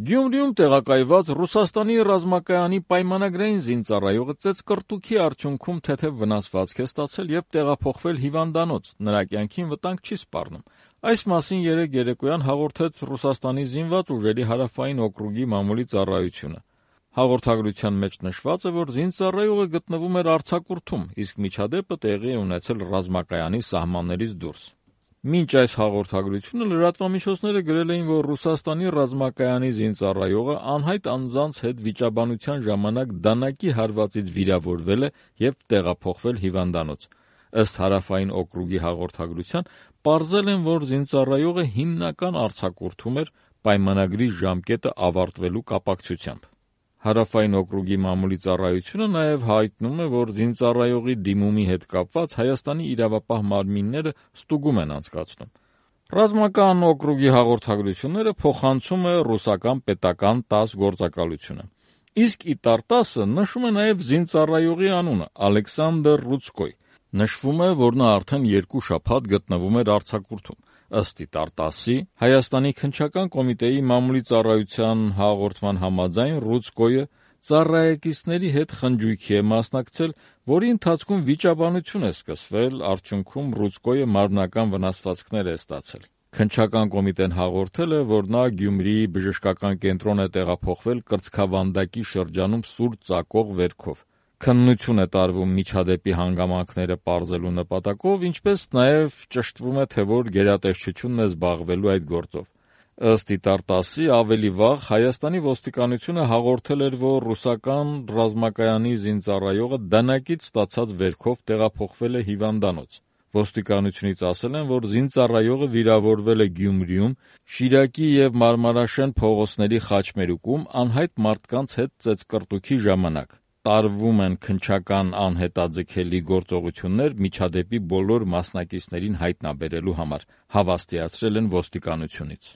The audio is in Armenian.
Գյումրիում տեղակայված Ռուսաստանի ռազմակայանի պայմանագրային զինծառայողը ծեծկռտուքի արդյունքում թեթև վնասվածք է ստացել եւ տեղափոխվել հիվանդանոց, նրա կյանքին վտանգ չի սպառնում։ Այս մասին երեկ երեկոյան հաղորդեց Ռուսաստանի զինված ուժերի հարավային օկրուգի մամուլի ծառայությունը։ Հաղորդագրության մեջ նշված է, որ զինծառայողը գտնվում էր արձակուրդում, իսկ միջադեպը տեղի է ունեցել ռազմակայանի սահմաններից դուրս։ Մինչ այս հաղորդագրությունը լրատվամիջոցները գրել էին, որ Ռուսաստանի ռազմակայանի զինծառայողը անհայտ անձանց հետ վիճաբանության ժամանակ դանակի հարվածից վիրավորվել է եւ տեղափոխվել հիվանդանոց։ Ըստ հարավային օկրուգի հաղորդագրության, պարզել են, որ զինծառայողը հիմնական արձակուրդում էր պայմանագրի ժամկետը ավարտվելու կապակցությամբ։ Հարավային օկրուգի մամուլի ծառայությունը նաև հայտնում է, որ զինծառայողի դիմումի հետ կապված Հայաստանի իրավապահ մարմինները ստուգում են անցկացնում։ Ռազմական օկրուգի հաղորդագրությունները փոխանցում է ռուսական պետական ՏԱՍՍ գործակալությունը։ Իսկ ԻՏԱՐ-ՏԱՍՍ-ը նշում է նաև զինծառայողի անունը՝ Ալեքսանդր Ռուցկոյ։ Նշվում է, որ նա արդեն 2 շաբաթ գտնվում էր արձակուրդում։ Ըստ ԻՏԱՐ-ՏԱՍՍ-ի, Հայաստանի քննչական կոմիտեի մամուլի ծառայության հաղորդման համաձայն Ռուցկոյը ծառայեկիցների հետ խնջույքի է մասնակցել, որի ընթացքում վիճաբանություն է սկսվել, արդյունքում Ռուցկոյը մարմնական վնասվածքներ է ստացել։ Քննչական կոմիտեն հաղորդել է, որ նա Գյումրիի բժշկական կենտրոն է տեղափոխվել կրծքավանդակի շրջանում սուր ծակող վերքով։ Քննություն է տարվում միջադեպի հանգամանքները պարզելու նպատակով, ինչպես նաև ճշտվում է, թե որ գերատեսչությունն է զբաղվելու այդ գործով։ Ըստ ԻՏԱՐ-ՏԱՍՍ-ի, ավելի վաղ Հայաստանի ոստիկանությունը հաղորդել էր, որ ռուսական ռազմակայանի զինծառայողը դանակից ստացած վերքով տեղափոխվել է հիվանդանոց։ Ոստիկանությունից ասել են, որ զինծառայողը վիրավորվել է Գյումրիում, Շիրակի և Մարմարաշեն փողոցների խաչմերուկում անհայտ մարդկանց հետ ծեծկռտուքի ժամանակ։ Տարվում են քննչական անհետաձգելի գործողություններ միջադեպի բոլոր մասնակիցներին հայտնաբերելու համար, հավաստիացրել են ոստիկանությունից։